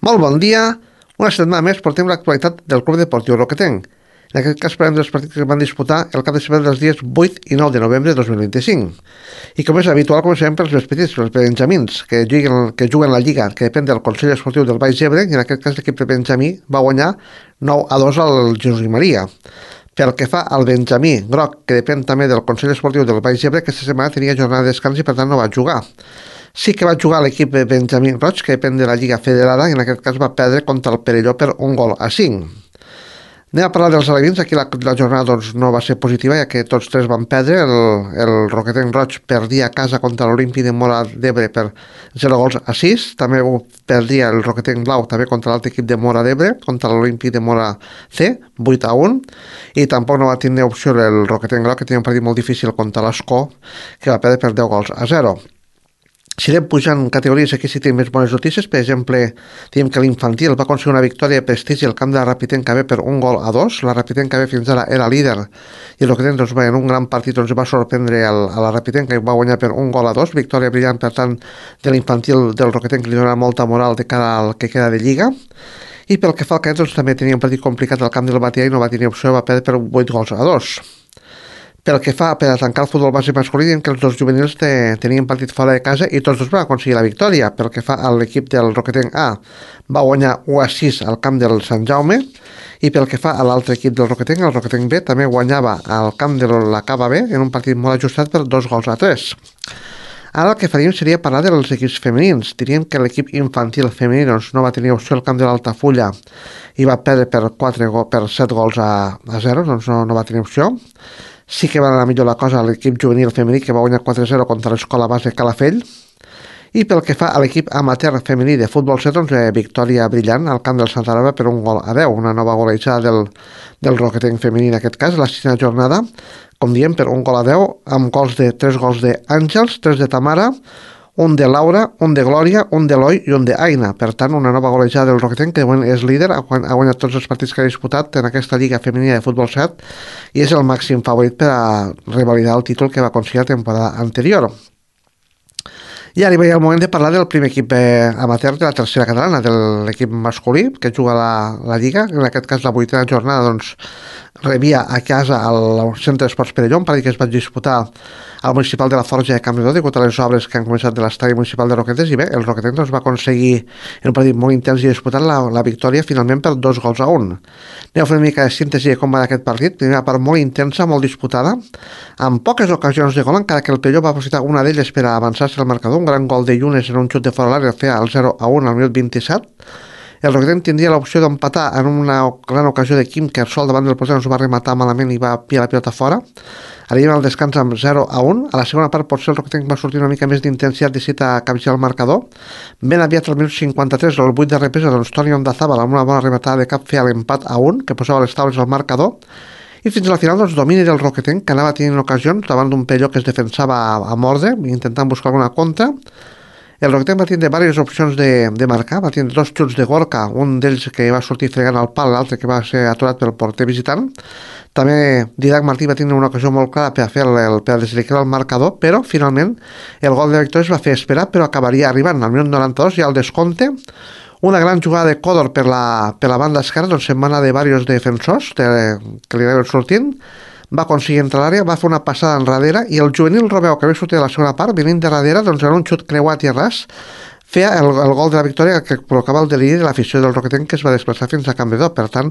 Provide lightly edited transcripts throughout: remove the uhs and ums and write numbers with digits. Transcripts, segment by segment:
Molt bon dia. Una setmana més portem l'actualitat del Club Deportiu Roquetenc. En aquest cas parlem dels partits que es van disputar el cap de setmana dels dies 8 i 9 de novembre de 2025. I com és habitual, començarem pels més petits, pels benjamins, que juguen la Lliga, que depèn del Consell Esportiu del Baix Ebre, i en aquest cas l'equip de Benjamí va guanyar 9-2 al Jesús i Maria. Pel que fa al Benjamí Groc, que depèn també del Consell Esportiu del Baix Ebre, aquesta setmana tenia jornada de descans i per tant no va jugar. Sí que va jugar l'equip de Benjamí Roig, que depèn de la Lliga Federada, i en aquest cas va perdre contra el Perelló per 1-5. Anem a parlar dels alevins. Aquí la jornada doncs, no va ser positiva, ja que tots tres van perdre. El Roquetenc Roig perdia a casa contra l'Olimpi de Mora d'Ebre per 0-6. També perdia el Roquetenc Blau també contra l'altre equip de Mora d'Ebre, contra l'Olimpi de Mora C, 8-1. I tampoc no va tenir opció el Roquetenc Groc, que tenia un partit molt difícil contra l'Escó, que va perdre per 10-0. Si anem pujant categories, aquí sí tenim més bones notícies. Per exemple, diem que l'infantil va aconseguir una victòria de prestigi al camp de la Rapitenca B per 1-2. La Rapitenca B fins ara era líder i el Roquetenc doncs, en un gran partit doncs, va sorprendre a la Rapitenca i va guanyar per 1-2. Victòria brillant, per tant, de l'infantil del Roquetenc, que li dona molta moral de cara al que queda de Lliga. I pel que fa al cadet, doncs, també tenia un partit complicat al camp del Batea i no va tenir opció, va perdre per 8-2. Pel que fa per a tancar el futbol base masculí, diem que els dos juvenils tenien partit fora de casa i tots dos van aconseguir la victòria. Pel que fa a l'equip del Roquetenc A, va guanyar 1-6 al camp del Sant Jaume, i pel que fa a l'altre equip del Roquetenc, el Roquetenc B també guanyava al camp de la Cava B en un partit molt ajustat per 2-3. Ara el que faríem seria parlar dels equips femenins. Diríem que l'equip infantil femení doncs, no va tenir opció al camp de l'Altafulla i va perdre per 7-0, doncs no va tenir opció. Sí que va anar millor la cosa a l'equip juvenil femení, que va guanyar 4-0 contra l'Escola Base Calafell. I pel que fa a l'equip amateur femení de futbol 7, doncs, victòria brillant al camp del Santa Rosa per 1-10, una nova golejada del Roquetenc femení en aquest cas, la 6a jornada, com diem, per 1-10, amb 3 gols d'Àngels, 3 de Tamara, un de Laura, un de Glòria, un d'Eloi i un d'Aina. Per tant, una nova golejada del Roquetenc, que de moment és líder, ha guanyat tots els partits que ha disputat en aquesta Lliga Femenina de Futbol 7 i és el màxim favorit per a revalidar el títol que va aconseguir la temporada anterior. I ara hi ha el moment de parlar del primer equip amateur de la tercera catalana, de l'equip masculí, que juga la Lliga. En aquest cas, la 8a jornada, doncs, rebia a casa al Centre d'Esports Perelló, un partit que es va disputar al municipal de la Forja de Campredó degut a les obres que han començat de l'estadi municipal de Roquetes, i bé, el Roquetes doncs, va aconseguir en un partit molt intens i disputant la victòria finalment per 2-1. Anem a fer una mica de síntesi de com va aquest partit. Primera part molt intensa, molt disputada, amb poques ocasions de gol, encara que el Perelló va aprofitar una d'elles per a avançar-se al marcador. Un gran gol de Llunes en un xut de fora l'àrea, feia el 0-1 al minut 27. El Roquetenc tindria l'opció d'empatar en una gran ocasió de Quim, que sol davant del porter ens va rematar malament i va pillar la pilota fora. Arribem al descans amb 0-1. A la segona part potser el Roquetenc va sortir una mica més d'intensitat, decidit a capgirar el marcador. Ben aviat al minut 53, el 8 de represa, doncs Toni Ondazábal amb una bona rematada de cap feia l'empat a 1, que posava les taules al marcador. I fins a la final, doncs, domini del Roquetenc, que anava tenint ocasions davant d'un Perelló que es defensava a mordre, intentant buscar alguna contra. El Roquetenc va tindre diverses opcions de marcar, va tindre 2 xuts de Gorka, un d'ells que va sortir fregant al pal, l'altre que va ser aturat pel porter visitant. També Didac Martí va tindre una ocasió molt clara per a desequilibrar el marcador, però finalment el gol de victòria es va fer esperar, però acabaria arribant al minut 92 i al descompte. Una gran jugada de Còdor per la banda esquerra, doncs se'n va anar de diversos defensors que li anaven sortint. Va aconseguir entrar a l'àrea, va fer una passada enrere i el juvenil Robeu, que havia sortit de la segona part, venint de darrere, doncs en un xut creuat i ras, feia el gol de la victòria que provocava el deliri de l'afició del Roquetenc, que es va desplaçar fins a Campredó. Per tant,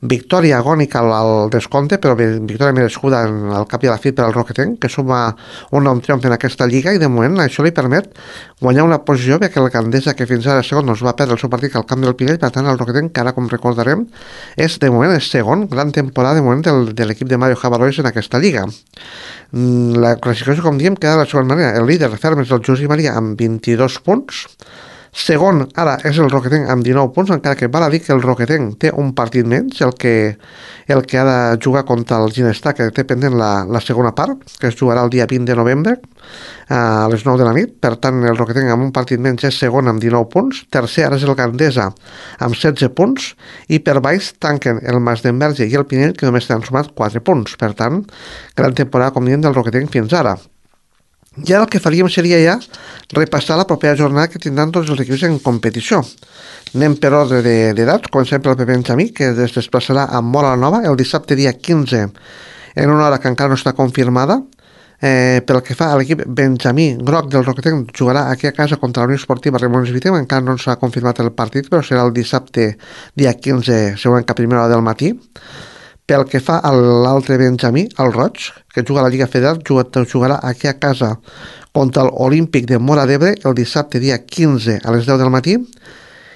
victòria agònica al descompte, però victòria merescuda al cap i a la fi per al Roquetenc, que suma un nou triomf en aquesta lliga, i de moment això li permet guanyar una posició, perquè el Gandesa, que fins ara segon, doncs va perdre el seu partit al camp del Pinell. Per tant, el Roquetenc, que ara, com recordarem, de moment és segon, gran temporada de moment de l'equip de Mario Javarois en aquesta lliga. La classificació, com diem, queda de la següent manera. El líder ferm és el Jesús i Maria amb 22 punts. Segon, ara, és el Roquetenc amb 19 punts, encara que val a dir que el Roquetenc té un partit menys, el que ha de jugar contra el Ginestar, que té pendent la segona part, que es jugarà el dia 20 de novembre, a les 9 de la nit. Per tant, el Roquetenc amb un partit menys és segon amb 19 punts. Tercer, ara és el Gandesa amb 16 punts, i per baix tanquen el Masdenverge i el Pinell, que només han sumat 4 punts. Per tant, gran temporada, com diem, del Roquetenc fins ara. I ara el que faríem seria ja repassar la propera jornada que tindran tots els equips en competició. Anem per ordre d'edats, comencem pel Benjamí, que es desplaçarà a Móra la Nova el dissabte dia 15 en una hora que encara no està confirmada. Pel que fa a l'equip Benjamí Groc del Roquetenc, jugarà aquí a casa contra la Unió Esportiva Ramon Viteu, encara no s'ha confirmat el partit, però serà el dissabte dia 15, segurament que a primera hora del matí. Pel que fa a l'altre Benjamí, el Roig, que juga a la Lliga Federal, jugarà aquí a casa contra l'Olímpic de Móra d'Ebre el dissabte dia 15 a les 10 del matí.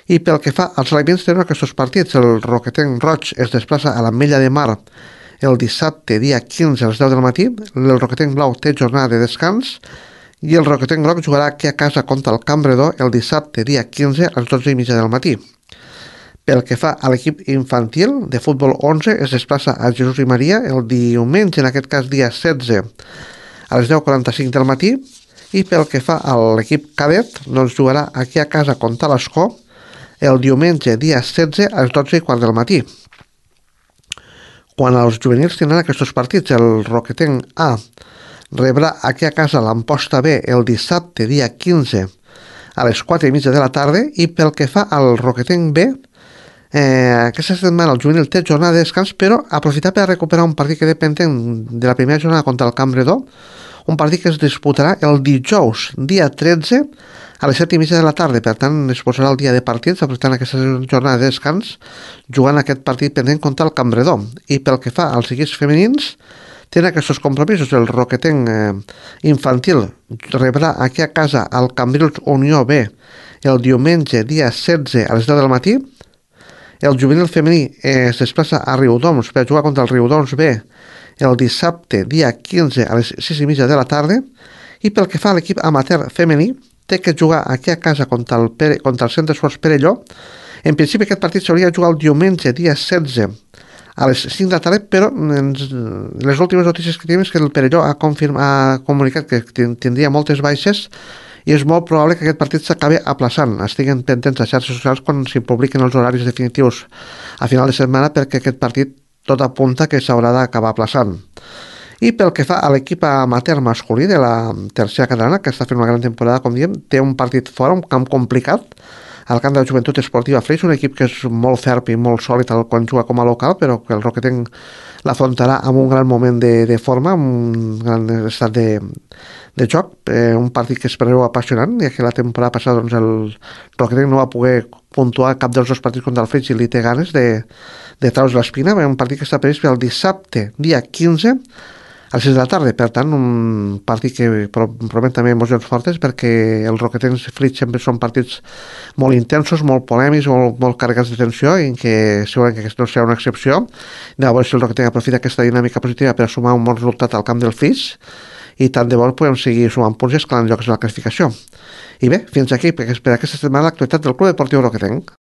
I pel que fa als elements tenen aquests partits, el Roquetenc Roig es desplaça a l'Ametlla de Mar el dissabte dia 15 a les 10 del matí, el Roquetenc Blau té jornada de descans i el Roquetenc Groc jugarà aquí a casa contra el Campredó el dissabte dia 15 a les 12:30 del matí. Pel que fa a l'equip infantil de futbol 11 es desplaça a Jesús i Maria el diumenge, en aquest cas dia 16 a les 10:45 del matí, i pel que fa a l'equip cadet doncs jugarà aquí a casa contra l'Escó el diumenge dia 16 a les 12:15 del matí. Quan els juvenils tindran aquests partits, el Roquetenc A rebrà aquí a casa l'Amposta B el dissabte dia 15 a les 4:30 de la tarda, i pel que fa al Roquetenc B, aquesta setmana el juvenil té jornada de descans, però aprofitar per recuperar un partit que té pendent de la primera jornada contra el Campredó, un partit que es disputarà el dijous, dia 13, a les 7:30 de la tarda. Per tant, es posarà el dia de partits, aprofitant aquesta jornada de descans, jugant aquest partit pendent contra el Campredó. I pel que fa als equips femenins, tenen aquests compromisos. El Roquetenc infantil rebrà aquí a casa el Cambrils Unió B el diumenge, dia 16 a les 10 del matí. El juvenil femení es desplaça a Riudoms per jugar contra el Riudoms B el dissabte, dia 15 a les 6:30 de la tarda. I pel que fa a l'equip amateur femení, té que jugar aquí a casa contra el Centre Esports Perelló. En principi aquest partit s'hauria de jugar el diumenge, dia 16 a les 5 de la tarda, però les últimes notícies que tenim és que el Perelló ha comunicat que tindria moltes baixes i és molt probable que aquest partit s'acabi aplaçant. Estiguen pendents a xarxes socials quan s'hi publiquen els horaris definitius a final de setmana, perquè aquest partit tot apunta que s'haurà d'acabar aplaçant. I pel que fa a l'equip amateur masculí de la tercera catalana, que està fent una gran temporada, com diem, té un partit fora, un camp complicat, al camp de la Joventut Esportiva Flix, un equip que és molt ferm i molt sòlid quan juga com a local, però que el Roquetenc l'afrontarà amb un gran moment de forma, amb un gran estat de joc, un partit que es preveu apassionant, ja que la temporada passada doncs, el Roquetenc no va poder puntuar cap dels dos partits contra el Flix i li té ganes de treure's l'espina. Un partit que està previst per el dissabte, dia 15, a les 6 de la tarda. Per tant, un partit que promet també emocions fortes, perquè el Roquetenc Flix sempre són partits molt intensos, molt polèmics, molt carregats de tensió, i que segurament que aquesta no serà una excepció. Llavors, si el Roquetenc aprofita aquesta dinàmica positiva per sumar un bon resultat al camp del Flix, i tant de bo podem seguir sumant punts i escalant llocs de la classificació. I bé, fins aquí, per aquesta setmana l'actualitat del Club Deportiu Roquetenc.